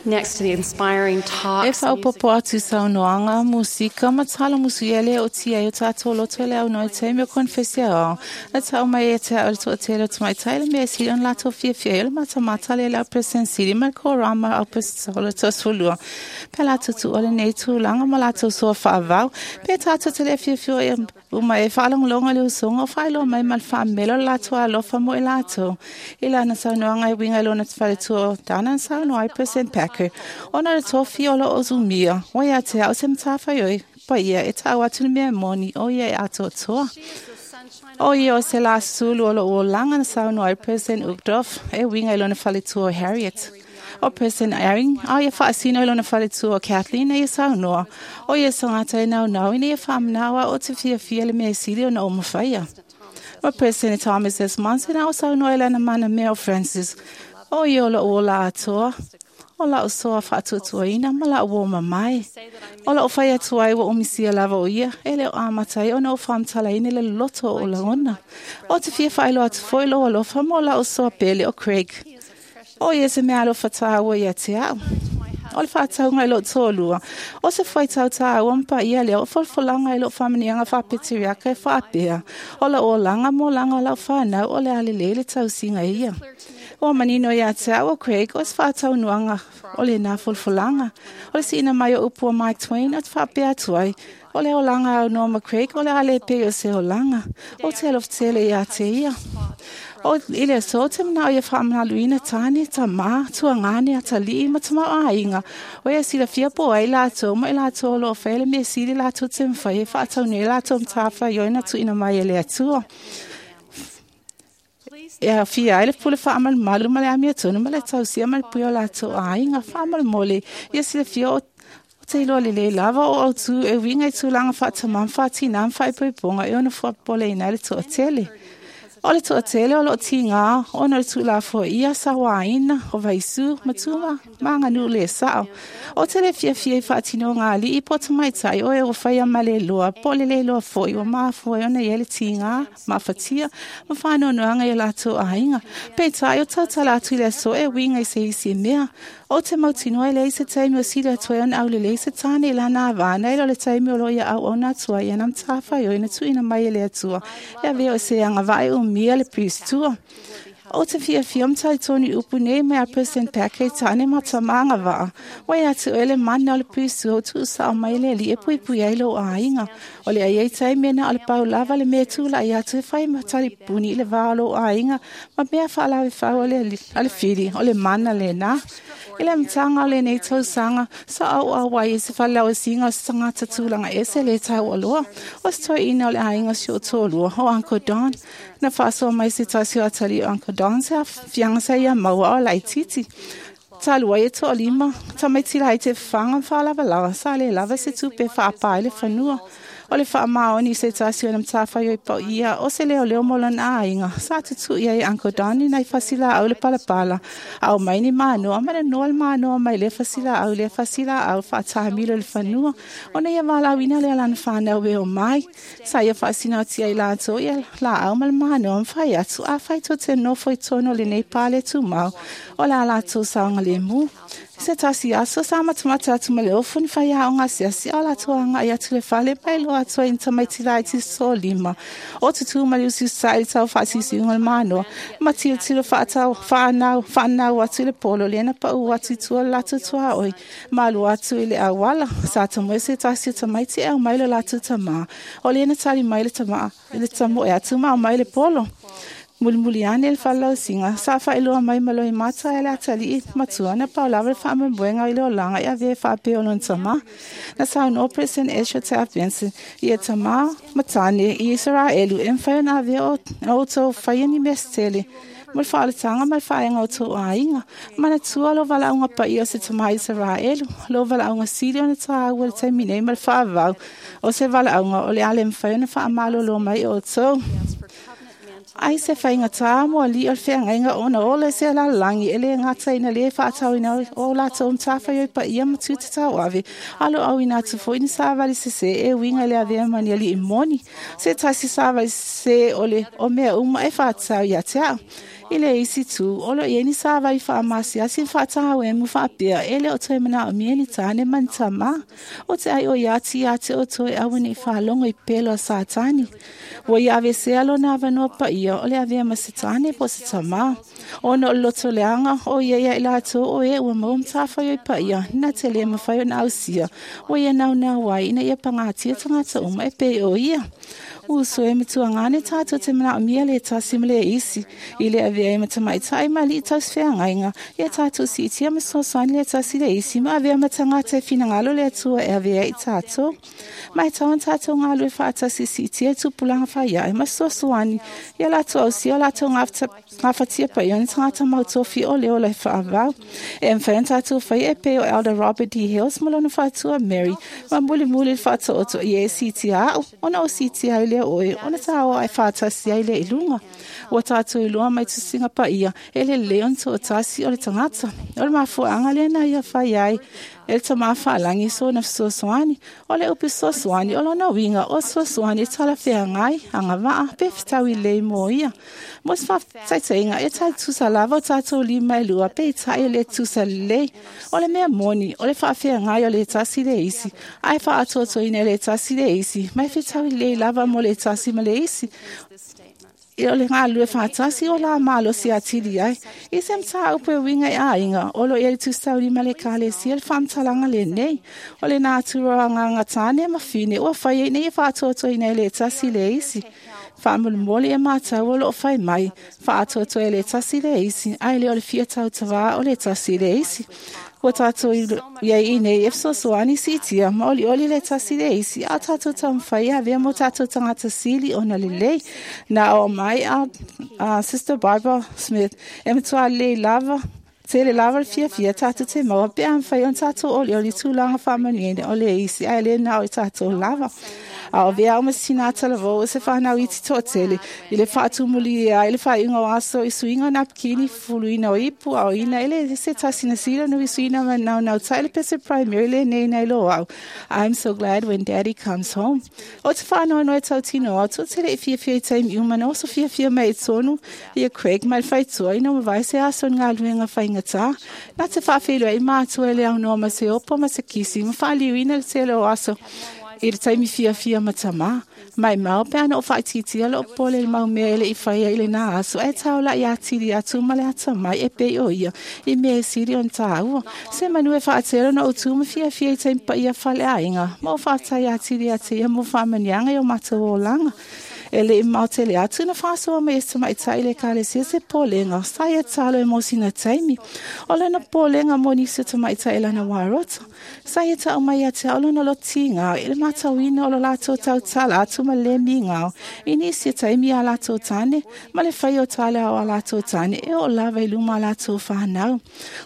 Next to the inspiring E talks, faaopopo atu i saunoaga, musika ma talamusu ia lea o tia ai o tatou loto e le aunoa i taimi o konefesi aoao. Na tau mai ia te a'u le toatele o tamaitai le mea e sili ona latou fiafia ai o le matamata lea i le au President Sili ma le Korama Apostola 12. Pe latou tuua lenei tulaga ma latou soa faavau. Pe tatou te le fiafia ia uma e faalogologo i le usoga o faailoa mai ma le faamelo le latou alofa mo i latou. I lana saunoaga e uiga i lona faletua o Dana na saunoa ai President Packer, ona o le tofi o loo umia, ua ia te a'u se matafaioi paia e ta'u atu le mea moni o ia e atoatoa. She is the sunshine O ia o se la sulu o loo olaga na saunoa ai President Uchtdorf e uiga i lona faletua o Harriet. O President Eyring, a ia faasino i lona faletua o Kathleen e ia saunoa. O ia se tagata e naunau ina ia faamanao a o te fiafia le mea sili ona o mafaia. Ma President Thomas S. Monson a o saunoa i lana mana mea o Francis. O ia o loo ola atoa. O la'u soa faatuatuaina ma la'u uō mamae. O la'u fai atu ai ua umisia lava o ia, e le o amata ai ona ou faamatalaina le loloto o ou lagona. O te fia faailoa atu foi lou alofa mo la'u soa pele o Craig. O ia se mea alofa tāua ia te a'u. O le faatauga i lou toalua, o se fuaitau tāua ma paia lea o folafolaga i lou faamanuiaga faapeteriaka e faapea, o la'u olaga ma olaga o lau fanau o le a lelei le tausiga ia. Ua manino ia te a'u o Craig o se faataunuaga o lenā folafolaga. O le si'ina mai o upu a Mark Twain o te faapea atu ai, o le olaga aunoa ma Craig o le a lē pei o se olaga. O te alofa tele iā te ia. O i le aso o te manao ia faamamaluina tāne, tamā, tuagane, atalii ma tamaoaiga. O ia silafia po ai latou ma i latou o loo faia le mea sili latou te mafai e faataunui ai latou matafaioi na tuuina mai e le Atua. E aofia ai le pule faamalumalu ma le amiotonu ma le tausia ma le pui o latou aiga. Faamolemole ia silafia o te iloa lelei lava o autū e uiga i tulaga faatamā ma faatinā ma faaipoipoga e ono fuapoleina ai le toatele. O le toatele o loo tigā ona o le tuulafoaia sauāina o vaisū ma tuma ma aganuu lē sa'o. O te le fiafia i faatinoga a alii po o tamaitai o e ua faia ma le iloa po o le lē iloa fo'i ua mafua ai ona i ai le tigā maafatia ma faanoanoaga i o latou aiga. Peitai o tautala atu i le aso e uiga i se isi mea. O te mautinoa e leai se taimi o sili atu ai ona aulelei se tāne i lana avana i lo le taimi o loo ia auauna atu ai ia na matafaioi na tuuina mai e le Atua e avea o se agavaa e umia le pistua. O te fiafia ma talitonu i upu nei mai a President Packer i tāne ma tamā agavaa. Ua ia te oe le mana o le pistua o tuusa'o mai e le Alii e puipui ai lou aiga. O le ai ai taimi e na o le pau lava le mea e tula'i atu e fai ma talipuni i le vā o lou aiga ma mea faalavefau a le fili o le mana lenā. I le amataga o lenei tausaga, sa auau ai i se falelauasiga o se tagata tulaga ese le taualoa. O se toeaina o le aiga o si ou toalua, o Uncle Don. Na faasoa mai se tasi o atalii o Uncle Don se aafiaga sa ia maua o laitiiti. Talu ai e toalima, tamaiti laiti e fafaga ma faalavalava, sa lē lava se tupe e faapā ai le fanua. O le faamaoni i se tasi o na matafaioi paʻia o se leoleo mo lona aiga, sa tutuʻi ai e Uncle Don i nai fasilaau le palapala, a aumai ni manoa ma le noa le manoa mai lea fasilaau i lea fasilaau faatamilo i le fanua. Ona ia valaauina lea lana fanau e omai. Sa ia faasinoatia ai latou ia laau ma le manoa ma fai atu, afai tou te nofo i totonu o lenei pale tumau, o le a latou saogalemu. Se tasi aso sa matamata atu ma le ofu ni faiaoga asiasi a o latou agaʻi atu i le fale ma iloa atu ai i ni tamaiti laiti sosolima. O tutū ma le usiusisaʻi i le tau faasiusiuga o le manoa ma tilotilo faatau faanau faanau atu i le polo lea na paʻu atu i tua o le latou tuaoi ma alu atu i le auala. Sa tamoe se tasi o tamaiti e aumai lo latou tamā. O lea na tali mai le tama i le tamoe atu ma aumai le polo. Mulimuli ane le falelausiga, sa faailoa mai ma loimata e le atalii matua na pau lava le faamoemoega i le olaga e avea e faapea o lona tamā. Na saunoa President Ezra Taft Benson ia tamā ma tāne i Isaraelu e mafai ona avea o outou faia ni mea setele mo le faaolataga ma le faaega o tou aiga. Manatua lou valaauga paia o se tamā Isaraelu, lou valaauga sili ona tāua i le taimi nei ma le faavavau o se valaauga o le a le mafai ona faamalōlō mai e outou. Ai se faigatā mo alii o le feagaiga ona ola i se lalolagi e lē gata ina lē faatauina o latou matafaioi paia ma tiute tauave, a o loo auina atu foi ni savali sesē e uiga i le avea ma ni alii moni. Se tasi savali sesē o le o mea uma e faatatau ia te a'u. I le isi itu, o lo o i ai ni savali faamasiyasi ma faatauemu faapea e le o toe manaomia ni tāne ma ni tamā. Ou te ʻai ati iā te outou e aua ne i faalogo i pelo a Satani. Ua ia aveesea lona avanoa paia o le avea ma se tāne po o se tamā. Ona o le loto leaga o ia iā i latou o e ua maua matafaioi paia, na te lē mafai ona ausia, ua ia naunau ai ina ia pagatia tagata uma e pei o ia. Uso e matuagane tātou te manaomia le tasi ma le isi, i le avea ai ma tamaitai ma alii tausifeagaiga, ia tātou siitia ma fesoasoani le tasi le isi ma avea ma tagata e finagalo le Atua e avea ai i tātou. Ma e tatau ona tātou galulue faatasi e siitia i tupulaga faiae ma fesoasoani ia latou ausia o latou gafatia paia o ni tagata mautofi o le ola e faavau. E mafai ona tātou faia e pei o Elder Robert D. Hales ma lona faletua Mary ma mulimuli le faataoto ia e siitia au ona ou siitia ai lea o oe ona tāoa e faatasi ai lea i luga. Ua tātou iloa mai tusiga paia e lelei ona toatasi o le tagata. O le mafuaaga lea na ia fai ai e le Tamā Faalagi sona fesoasoani. O le upu fesoasoani o lona uiga o fesoasoani e talafeagai, agavaa, pe fetaui lelei mo ia. Mo se faataitaiga, e tai tusa lava o tatou lima e lua peitai e le tusa lelei. O le mea moni, o le faafeagai o le tasi le isi, ae faaatoatoina e le tasi le isi, ma e fetaui lelei lava mo le tasi ma le isi. O le galulue faatasi o la malosi atili ai. I se mataupu e uiga i aiga, o lo o i ai le Tusi Taulima a le Ekalesia le faamatalaga lenei. O le natura o agaga tāne ma fine ua fai ai ina ia faatoatoaina e le tasi le isi. Faamolemole e matau o lo o fai mai, faaatoatoa e le tasi le isi, ae le o le fia tautavā o le tasi le isi. Ua tātou i ai i nei e fesoasoani siitia ma olioli le tasi le isi, a o tātou taumafai e avea mo tātou tagata sili ona lelei. Na oo mai a, a Sister Barbara Smith e matua lelei lava, tele lava le fiafia tātou te maua pe a mafai ona tātou olioli tulaga faamanuiaina o le isi ae le na o i tātou lava. A o vea au ma se tinā talavou o se whānau iti toatele i le faatumulia ai le faaiuga o aso i suiga o napkini, fufuluina o ipu, aoina e le se tasi na sila nui suina ma naunau tai le pese primary lenei nei lo au. I'm so glad when daddy comes home. O te whānoanoa e tau tino au, tō tele i fiafia i taimi uma na oso fiafia mai i tonu ia Craig mai le whaitua ina mavae se aso ni ngā luenga whaingatā. Nā te whaawhenua i mātua e le aunoa ma se opo ma se kisi ma whaaliuina le tele o aso I le taimi fiafia ma tamā, maimau pe ana o faaitiitia lou popole i le mau mea e le i faia i lenā aso, ae taolaʻi atili atu ma le atamai e pei o ia i mea e sili ona tāua. Se manu e faatele ona ou tu ma fiafia i taimi paia faleaiga, ma ou faafetai atili atu ia mo faamanuiaga i o matou olaga. E le i mamao tele atu na faasoa mai e se tamaitai i le Ekalesia se popolega sa ia tatalo e mo sina taimi. O lana popolega mo nisi o tamaitai i lana wā roto. Sa ia tau mai ia te ao lona lotiga i le matauina o lo latou tautala atu ma le migao i nisi o taimi i a latou tane ma le fai o tala o a latou tane e oo lava i luma a latou whanau.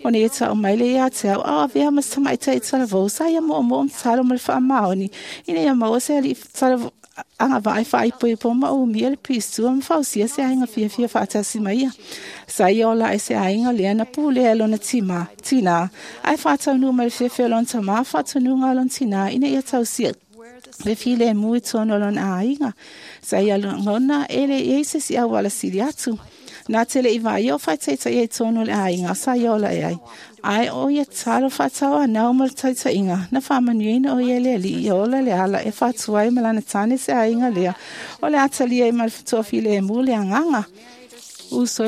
Ona ia tau mai le ia te au ao avea ma se tamaitai talavou sa ia moomoo ma tatalo ma le faamaoni ina ia maua se alii talavou agavaa e faaipoipo ma umia le pisua ma fausia se aiga fiafia faatasi ma ia. Sa ia ola ai se aiga lea na pulea e lona tima, tinā, ae faataunuu mai le fiafia o lona tamā faatonuga o lona tinā ina ia tausia le filemu i totonu o lona aiga. Sa ia lagona e le i ai se isi auala sili atu. Nā te le i vāia o faitaitaia i totonu o le aiga sa ia ola e ai. Ae o ia talo faatau anau ma le taitaiga, na faamanuiaina o ia e le Alii ia ola le ala e faatua ai ma lana tane se aiga lea o le a talia ai ma le toafilemu le agaga. Uso,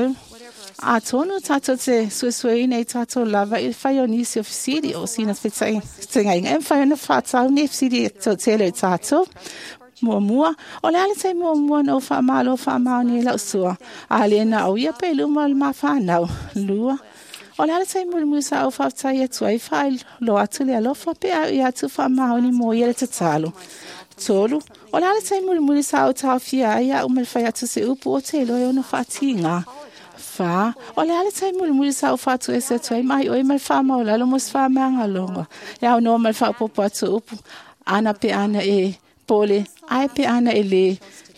atonu tatou te suesueina i tatou lava i le fai o nisi o fesili o sina fetaiga e mafai ona faatau nei fesili e toatele i tatou. Muamua, o le a le taimi muamua na ou faamalo faamaoni ai lau sua, a le na au ia pe i luma o le ma whanau. Lua, o le a le taimi mulimuli sa ou faafetai atu ai faailoa atu le alofa pe au ia atu faamaoni mo ia le tatalo. Tolu, o le a le taimi mulimuli sa ou taofia ai au ma le fai atu se upu o te iloa e ono faatīgā. Whā, o le a le taimi mulimuli sa ou faatuese atu ai mai oe ma le faamaualalo mo se faamagaloga. E aunoa ma le faaopoopo atu o upu, ana pe ana e pole, ae pe ana e lē.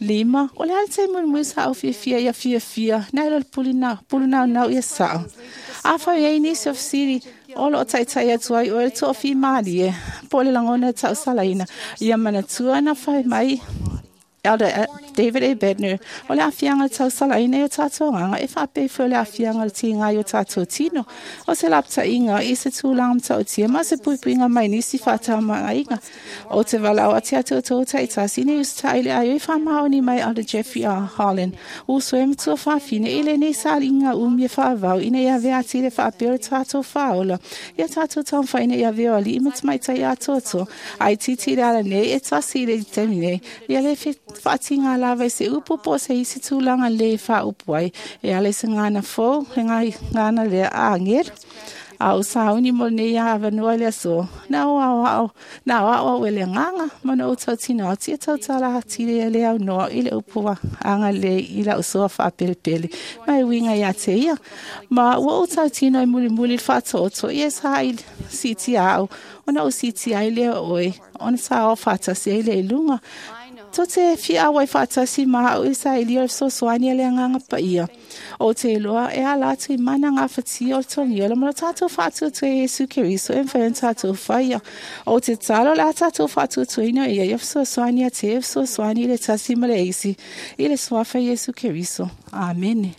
Lima, o le a le taimi mulimuli sa ou fiafia ia fiafia, nai lo le puli pulunaunau ia sao. Afai e i ai nisi o fesili o lo o taitai atu ai oe le toafimālie, po o le lagona e tausalaina, ia manatua na fai mai Elder David A. Bednar, o le aafiaga o le tausalaina i o tatou agaga e faapea ifo i le aafiaga o le tiga i o tatou tino. O se lapataiga i se tulaga matautia ma se puipuiga mai nisi faatamaiga. Ou te valaau atu ia te outou taitasi ina ia usitai i le aio i faamaoni mai Elder Jeffrey R. Holland, uso e matua fafine i lenei sailiga umi e faavavau ina ia avea atili e faapea o le tatou faaola ia tatou taumafai ina ia avea o alii ma tamaitai atoatoa ai titi i le ala nei e tasi i le taimi nei ia le faatiga lava i se upu po o se isi tulaga lē faaupu ai e ala i se gagana fou le gagana lea a agelu. A o sauni mo lenei avanoa i le aso, na o aoao, na aoao au e le agaga, ma na ou tautino atu ia tautala atili e le aunoa i le upu agalelei i lau soa faapelepele, ma e uiga ia te ia. Ma ua ou tautino e mulimuli i le faatoatoa, ia sa i siitia au, ona ou siitia ai lea o oe, ona sa oo faatasi ai lea i luga. Tou te fia auai faatasi ma au i le sailia o le fesoasoani a le Agaga Paia. Ou te iloa e ala atu i mana gafatia o le togiola ma lo tatou faatuatua ia Iesu Keriso e mafai ona tatou faia. Ou te tatalo o le a tatou faatuatuaina ia ia fesoasoani ia te ia fesoasoani i le tasi ma le isi i le suafa Iesu Keriso. Amene.